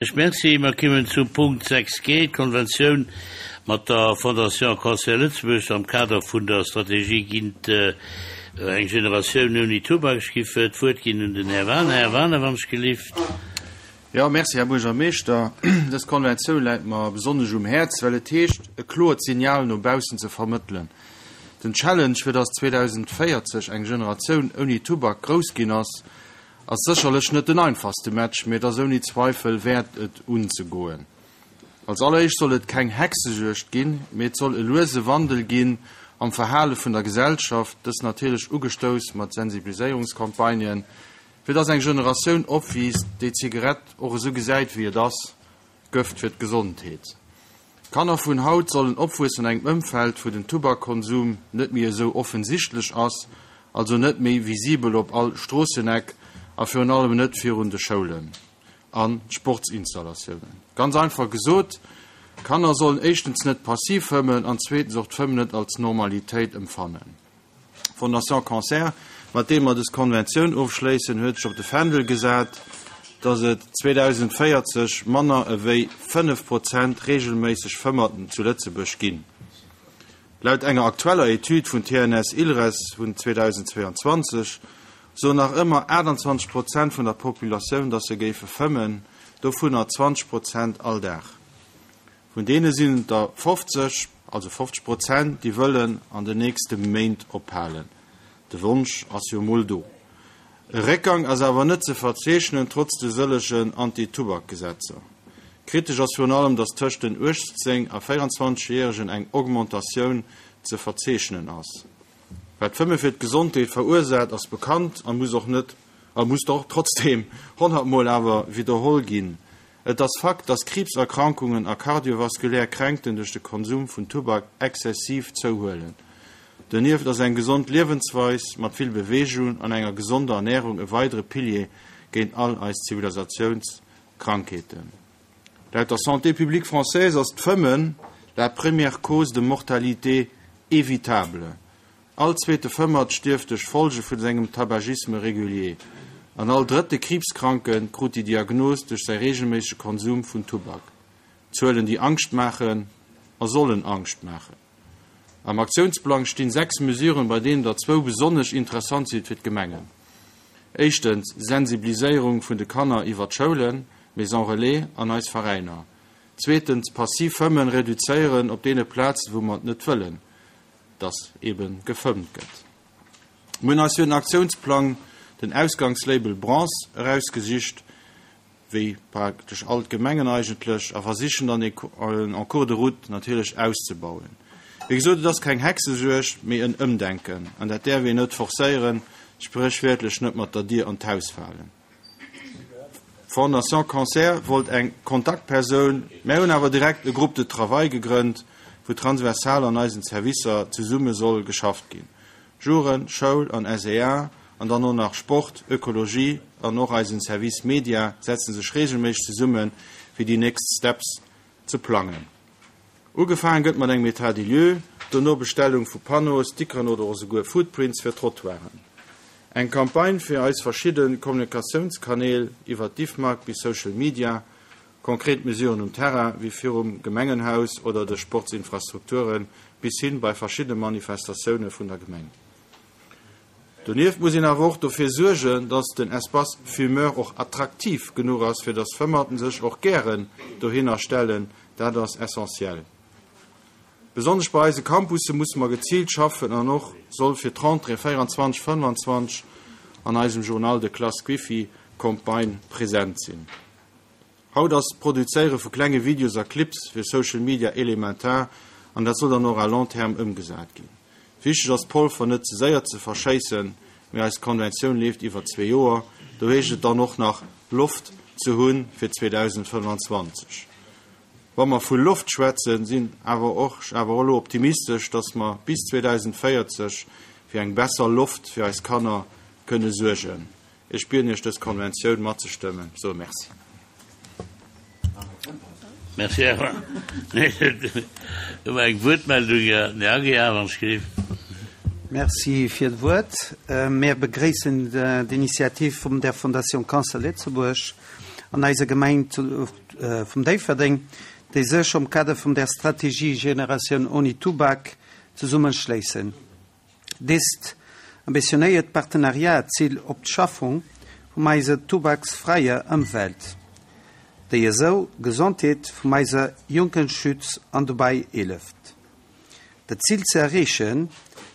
Ech merci. Mer kimmen zum Punkt 6 g, d'Konventioun mat der Fondation Cancer Lëtzebuerg am Kader vun der Strategie géint eng Generatioun ouni Tubak. Ech giff d'Wuert ginn un den Här Waner. Här Waner, wann ech gelift. Jo, merci, Här Buergermeeschter. Dës Konventioun läit mer besonnesch um Häerz, well et heescht, e kloert Signal no baussen ze vermëttelen. Den Challenge, fir dass 2040 eng Generatioun ouni Tubak grouss ginn ass, Ass sécherlech net den einfachste Match, mee et ass ouni Zweifel wäert et unzegoen. Als alleréischt soll et keng Hexejuegd ginn, mee et soll e luese Wandel ginn am Verhale vun der Gesellschaft, dës natierlech ugestouss mat Sensibiliséierungscampagnen, fir dass eng Generatioun opwiisst, déi d'Zigarett och esou gesäit wéi et ass, Gëft fir d'Gesondheet. D'Kanner vun haut sollen opwuessen an engem Ëmfeld, wou den Tubakkonsum net méi esou offensichtlech ass, also net méi visibel op all Stroosseneck a virun allem net virun de Schoulen a Sportsinstallatiounen. Ganz einfach gesot, Kanner sollen éischtens net passiv fëmmen an zweetens och d'Fëmmen net als Normalitéit emfannen. D'Fondation Cancer, mat deem mer des Konventioun ofschléissen, huet sech op de Fändel gesat, dass et 2040 manner ewéi 5 Prozent reegelméisseg Fëmmerten zu Lëtzebuerg ginn. Laut enger aktueller Etüd vun TNS Ilres vun 2022 soen nach ëmmer 28 Prozent vun der Populatioun, dass se géife fëmmen, dovunner 20 Prozent all Dag. Vun deene sinn et der 50, also 50 Prozent, déi wëllen an den nächste Méint ophalen. De Wonsch ass jo mol do. E Réckgang ass awer net ze verzeechnen, trotz de sëllegen Anti-Tubak-Gesetzer. Kritesch ass virun allem, datt tëscht den 18 a 24 Järegen eng Augmentatioun ze verzeechnen ass. Wat d'Fëmme fir d'Gesondheet verursaacht, ass bekannt a muss och net, a muss och trotzdeem honnertmol awer widderholl ginn. Et ass Fakt, dass Kriibserkrankungen a kardiovaskulär Kränkten duerch de Konsum vun Tubak exzessiv zouhuelen. Donieft ass eng gesond Liewensweis mat vill Beweegung an enger gesonder Ernärung e weidere Pilier géint all eis Zivilisatiounskrankheeten. Laut der Santé publique française ass d'Fëmmen la première cause de mortalité évitable. All zweete Fëmmert stierft duerch Folge vun sengem Tabagisme régulier an all drëtte Kriibskranke krut déi Diagnos duerch säi reegelméissege Konsum vun Tubak. Zuelen, déi Angscht maachen a sollen Angscht maachen. Am Aktiounsplang stinn 6 Mesuren, bei deenen der zwou besonnesch interessant sinn fir d'Gemengen. Éischtens, Sensibiliséierung vun de Kanner iwwer d'Schoulen, Maisons Relais an eis Veräiner. Zweetens, passiv Fëmmen reduzéieren op deene Plazen, wou mer et net wëllen. dass ebe gefëmmt gëtt. Mir hunn eis fir den Aktiounsplang den Ausgangslabel Bronze erausgesicht, wéi praktesch all d'Gemengen eigentlech, a versichen dann en cours de route natierlech auszebauen. Wéi gesot, et ass keng Hexejuegd, mee en Ëmdenken, an dat däerf een net forcéieren, spréchwiertlech net mat der Dier an d'Haus falen. D'Fondation Cancer wollt eng Kontaktpersoun, mär hunn awer direkt e Groupe de travail gegrënnt, wou transversal an eisen Servicer zesumme soll geschafft ginn, Jugend, Schoul an SEA an dann och nach Sport, Ökologie an och eisen Service Media setzen sech regelméisseg zesummen, fir déi nächst Steps ze plangen. Ugefaangen gëtt mat engem État des lieux, dono Bestellung vu Panneauen, Stickeren oder och esouguer Foodprints fir Trottoiren. Eng Campagne fir eis verschidde Kommunikatiounskanäl, iwwer d'Ifmag bis Social Media, konkret Mesuren um Terrain, wéi virum Gemengenhaus oder de Sportsinfrastrukturen, bis hin bei verschiddene Manifestatioune vun der Gemeng. Donieft muss een awer och dofir suergen, dass den Espace fumeur och attraktiv genuch ass, fir dass Fëmmerten sech och gären dohinner stellen. Dat ass essentiell. Besonnesch bei eise Campusse musse mer geziilt schaffen an och soll fir d'Rentrée 24, 25 an eisem Journal de classe d'Wifi Campagne present sinn. Haut ass d'Produzéiere vu klenge Videos a Clips fir Social Media elementar an dat soll dann och à long terme ëmgesat ginn. Wichteg ass d'Polfer net ze séier ze verschéissen, mee eis Konventioun leeft iwwer zwee Joer, do heescht et dann och nach Loft ze hu fir 2025. Wa mer vu Loft schwätzen, sinn awer och ech awer och elo optimistesch, datt mer bis 2040 fir eng besser Loft fir eis Kanner kënne suergen. Ech bieden Iech, dës Konventioun matzestëmmen. Ech soe Merci. Merci, Här Wagner. Do war eng Wuertmeldung, den Här Aguiar, wann ech géif. Merci fir d'Wuert. Mir begréissen d'Initiativ vum der Fondation Cancer Lëtzebuerg an eiser Gemeng. vum Déifferdeng, déi sech am Kader vum der Strategie Generatioun ouni Tubak zesummeschléissen. Dést ambitionéiert Partenariat ziilt op d'Schaffung vum eiser tubaksfräier Ëmwelt, déi esou d'Gesondheet vum eiser Jonken schützt an dobäi hëlleft, dat Zil ze erreechen,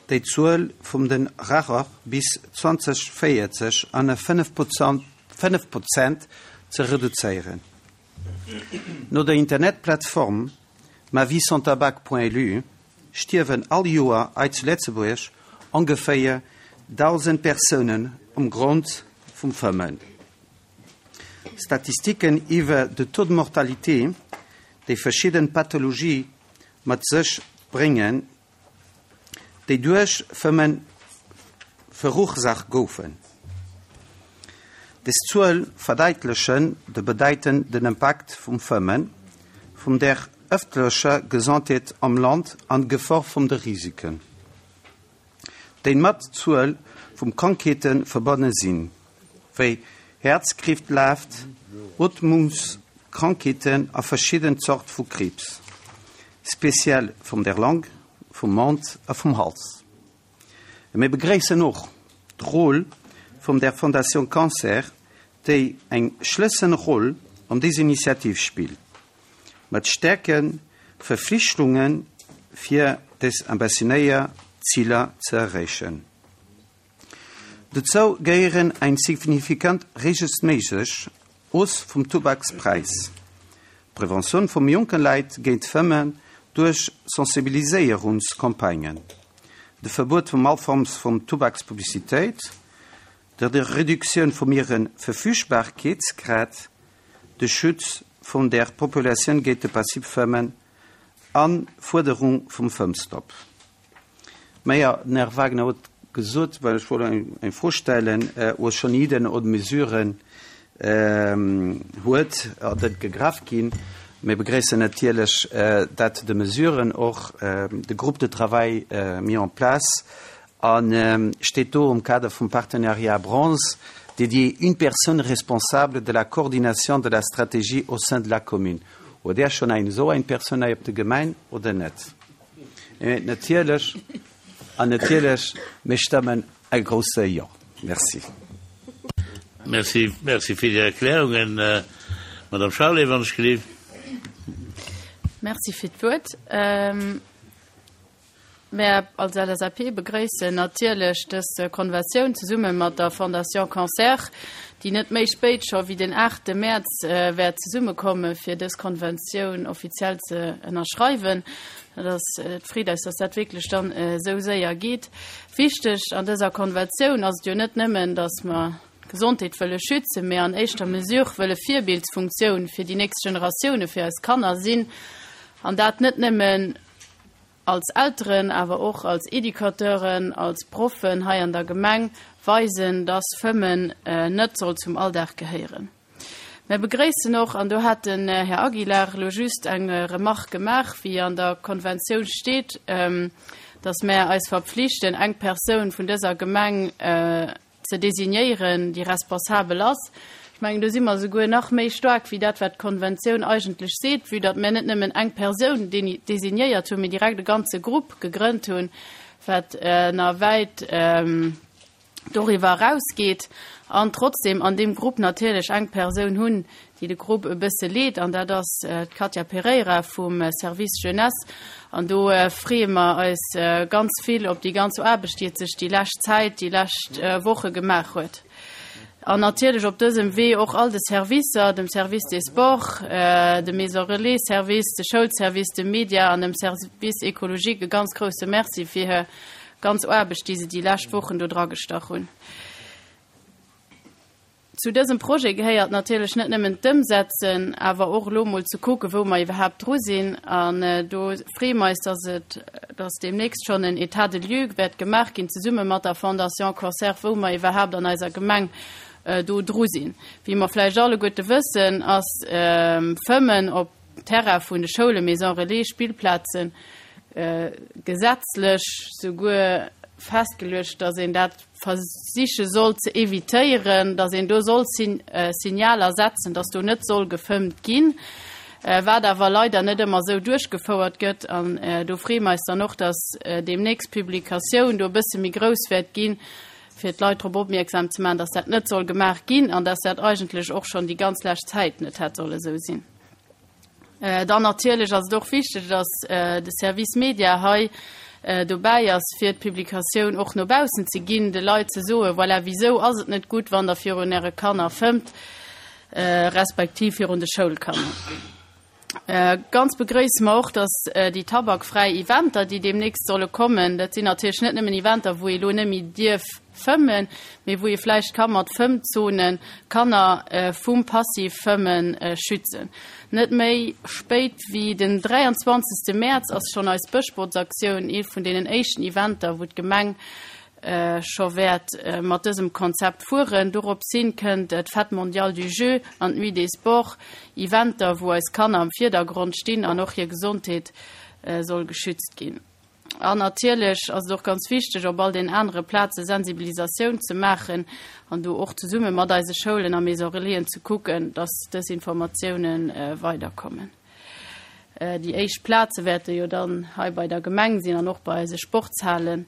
déi d'Zuel vum den Racher bis 2040 an e 5 Prozent ze reduzéieren. No der Internetplattform maviesanstabac.lu stierwen all Joer hei zu Lëtzebuerg ongeféier 1.000 Persounen um Grond vum Fëmmen. Statistiken iwwer de Taux de mortalité, déi verschidden Pathologie mat sech bréngen, déi duerch Fëmmen verursach goufen. Des Zuel verdeitlechen de bedeitenden Impakt vum Fëmmen vum der ëffentlecher Gesondheet am Land an d'Gefor vum de Risiken, déi mat Zuel vum Krankheete verbonne sinn, wéi Häerzkreeflaft, Ootmungskrankheeten a verschidden Zort vu Kriibs, speziell vum der Long, vum Mond a vum Hals. Mir begréissen och d'Roll vum der Fondation Cancer, déi eng Schlësselroll an dés Initiativ spillt, mat staarke Verflichtunge fir des ambitionéier Ziler ze erreechen. Dozou gehéieren eng signifikant regelméisseg Hausse vum Tubakspräis, d'Preventioun vum jonke Leit géint d'Fëmmen duerch Sensibiliséierungscampagnen, de Verbuet vum all Form vun Tubakspublicitéit, der Reduktioun vum hire Verfügbarkeetsgrad, de Schutz vun der Populatioun géint de Passivfëmmen an d'Fuerderung vum Fëmmstopp. Mä jo, den Här Wagner huet gesot, well ech wollt eng Fro stellen, wo schonn Ideen oder Mesuren huet, dat gegraff ginn. Mir begréissen natierlech, dat de Mesuren och de Groupe de travail mis en place a steet do um Kader vum Partenariat Bronze dédié une personne responsable de la coordination de la stratégie au sein de la commune. Huet Där schonn eng esou eng Persoun hei op der Gemeng oder net? Natierlech, an natierlech, mir stëmmen e grousse Jo. Merci. Merci, merci fir déi Erklärungen. Madame Charlé, wann ech gelift. Merci fir d'Wuert. Mär als LSAP begréissen natierlech dës Konventioun zesumme mat der Fondation Cancer, déi net méi spéit scho wéi den 8 Mäerz wäert zesummekomme fir dës Konventioun offiziell ze ënnerschreiwen. Dat ass, et freet eis, dass dat wierklech dann esou séier geet. Wichteg an dëser Konventioun ass et jo net nëmmen, dass mer d'Gesondheet wëlle schützen, mä an éischter Mesure wëlle Virbildsfunktioun fir déi nächst Generatioune, fir eis Kanner sinn, an dat net nëmmen als Elteren, awer och als Educateuren, als Proffen hei an der Gemeng weisen, dass Fëmmen net soll zum Alldag gehéieren. Mär begréissen och, an do hat den Här Aguilar elo just eng Remarque gemaach, wéi an der Konventioun steet, dass mär eis verpflichten, eng Persoun vun dëser Gemeng ze designéieren, déi responsabel ass. Ech mengen, do si mer souguer nach méi staark wéi dat, wat d'Konventioun eigentlech seet, vue datt mir net nëmmen eng Persoun designéiert hunn, mee direkt e ganze Grupp gegrënnt hunn, wat nach wäit doriwwer erausgeet, an trotzdem an deem Grupp natierlech eng Persoun hunn, déi de Grupp e bësse leet, an dat ass d'Katia Pereira vum Service Jeunesse. An do freeë mer eis ganz vill op déi ganz Aarbecht, déi et sech déi lescht Zäit, déi lescht Woche gemaach huet. An natierlech op dësem Wee och all de Servicer, dem Service des Sports, dem Maison Relais Service, de Schoulservice, dem Media an dem Service écologique e ganz grousse Merci fir hir ganz Aarbecht, déi se déi lescht Wochen do dragestach hunn. Zu dësem Projet gehéiert natierlech net nëmmen d'Ëmsetzen, awer och elo mol ze kucken, wou mer iwwerhaapt dru sinn. An do freeë mer eis, dass et, dass deemnächst schonn en État de lieu wäert gemaach ginn, zesumme mat der Fondation Cancer, wou mer iwwerhaapt an eiser Gemeng do dru sinn. Wéi mer vläicht alleguerte wëssen, ass Fëmmen op Terrain vun de Schoulen, Maisons relais, Spillplazen gesetzlech souguer. festgeluecht, dass een dat versiche soll ze evitéieren, dass een do soll Signaler setzen, dass do net soll gefëmmt ginn, wat awer leider net ëmmer esou duerchgefouert gëtt. An do freeë mer eis dann och, dass deemnächst d'Publikatioun do e bësse méi grouss wäert ginn, fir d'Leit drop opmierksam ze maachen, dass dat net soll gemaach ginn an dass dat eigentlech och schonn déi ganz lescht Zäit net hätt solle esou sinn. Dann natierlech ass et och wichteg, dass de Service Media hei dobäi ass, fir d'Publikatioun och no baussen ze ginn, de Leit ze soen, voilà, wisou ass et net gutt, wann Der virun Äre Kanner fëmmt, respektiv virun de Schoulkanner. Ganz begrëisse mer och, dass déi tabakfräi Eventer, déi deemnächst solle kommen, dat sinn natierlech net nëmmen Eventer, wou ee lo net méi dierf fëmmen, mee wou ee vläicht ka mat Fëmmzone Kanner vum Passivfëmme schützen. Net méi spéit wéi den 23. Mäerz ass schonn eis Bëschbotzaktioun, ee vun deenen éischten Eventer, wou d'Gemeng scho wäert mat dësem Konzept fueren. Dorops hin kënnt d'Fête mondiale du jeu an d'Nuit des sports, Eventer, wou eis Kanner am Virdergrond stinn an och hir Gesondheet soll geschützt ginn. An natierlech ass et och ganz wichteg, op all den anere Plaze Sensibilisatioun ze maachen an do och zesumme mat eise Schoulen a Maison Relaisen ze kucken, dass dës Informatiounen weiderkommen. Déi éischt Plaze wäerte jo dann hei bei der Gemeng sinn an och bei eise Sportshalen.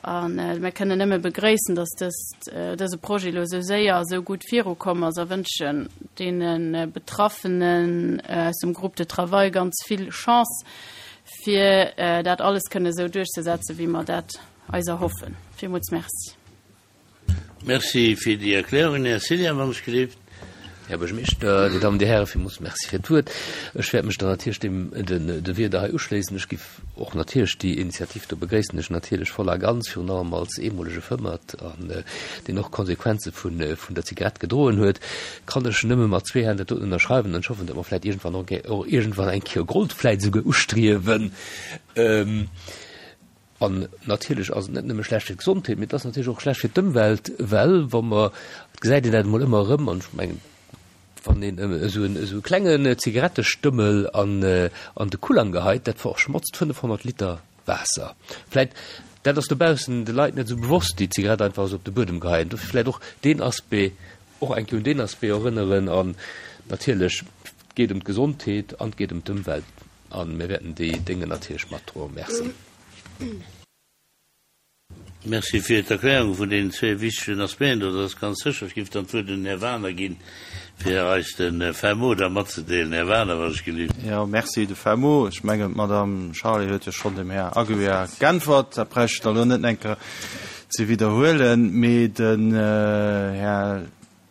A mir kënnen nëmme begréissen, dass dëst, dëse Projet elo esou séier a esou gutt virukomm ass a wënschen deene Betraffenen aus dem Groupe de travail ganz vill Chance, fir dat alles kënne esou duerchzesetzen, wéi mer dat eis erhoffen. Villmools Merci. Merci fir déi Erklärungen, Här Cillien, wann ech gelift. Här Buergermeeschter, Dir Dammen, Dir Hären, villmools Merci fir d'Wuert. Ech wäert mech dann natierlech deem, den, de Wierder hei uschléissen. Ech giff och natierlech déi Initiativ do begréissen ech natierlech voll a ganz, virun allem als eemolege Fëmmert an deen och d'Konsequenze vun, vun der Zigarett gedroen huet, kann ech nëmme mat zwee Hänn dat doten ënnerschreiwen an ech hoffen, datt mer vläicht iergendwann och och iergendwann eng Kéier Gold vläicht esouguer ustriewen. An natierlech ass et net nëmme schlecht fir d'Gesondheet, mee et ass natierlech och schlecht fir d'Ëmwelt, well wa mer, et gesäit een dat emol ëmmer erëm, an ech mengen, wann een esou en esou e klengen Zigarettestëmmel an an de Kullang geheit, dat verschmotzt 500 Liter Waasser. Vläit, dat ass dobaussen de Leit net esou bewosst, déi d'Zigarett einfach esou op de Buedem geheien. Dofir vläit och deen Aspect, och eng Kéier un deen Aspect erënneren. An natierlech, et geet ëm d'Gesondheet an et geet ëm d'Ëmwelt. A mir wäerten déi Dénge natierlech matdroen. Merci. Merci fir d'Erklärung vun deenen zwee wichtegen Aspecten do. Dat ass ganz sécher. Ech géif dann d'Wuert un den Här Wagener ginn, fir eis de Fin mot da matzedeelen. Här Wagener, wann ech gelift. Jo, merci. De Fin mot, ech mengen, d'Madame Charlé huet jo schonn dem Här Aguiar geäntwert. Dat bräicht ech da elo net eng Kéier ze widderhuelen. Mee den Här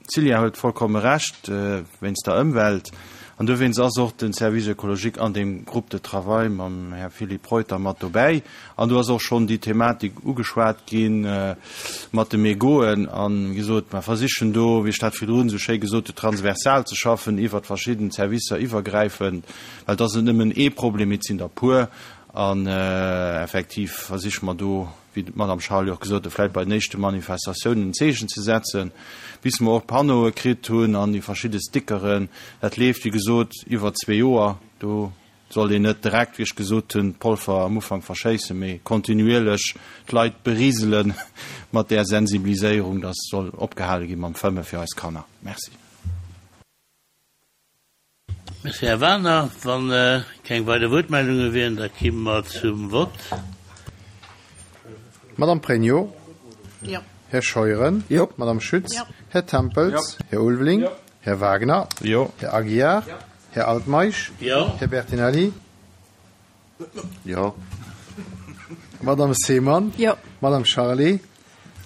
D'Cillia huet vollkomme Recht wéinst der Ëmwelt. An dowéinst ass och de Service écologique an deem Groupe de travail mam Här Philippe Reuter mat dobäi. An do ass och schonn déi Thematik ugeschwat gi mat de Mégoten. An, wéi gesot, mer versichen do, wéi ech dat virdrun esou schéi gesot hu, transversal ze schaffen, iwwert verschidden Servicer iwwergräifend, well et ass net nëmmen ee Problem, mee et sinn der puer. An effektiv versiche mer do, wéi d'Madame Charly och gesot huet, vläicht bei den éischte Manifestatiounen en Zeechen ze setzen, bis mer och d'Panneaue kritt hunn an déi verschidde Stickeren. Dat leeft, wéi gesot, iwwer zwee Joer. Do sollt een net direkt, wéi ech gesot hunn, d'Polfer am Ufank verschéissen, mee kontinuierlech d'Leit berisele mat där Sensibiliséierung, dass soll opgehale gi mam Fëmme fir eis Kanner. Merci. Merci, Här Wagener. Wa keng weider Wuertmeldunge wieren, da kimme mer zum Vott. Madame Pregno. Jo. Här Scheuren. Jo. Madame Schütz. Jo. Här Tempels. Jo. Här Ulveling. Jo. Här Wagner. Jo. Här Aguiar. Jo. Här Altmeisch. Jo. Här Bertinelli. Jo. Madame Seemann. Jo. Madame Charlé.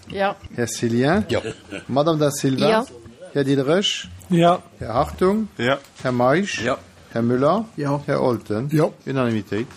Jo. Här Cillien. Jo. Madame Da Silva. Jo. Här Diderich. Jo. Här Hartung. Jo. Här Meisch. Jo. Här Müller. Jo. Här Olten. Jo. Unanimitéit.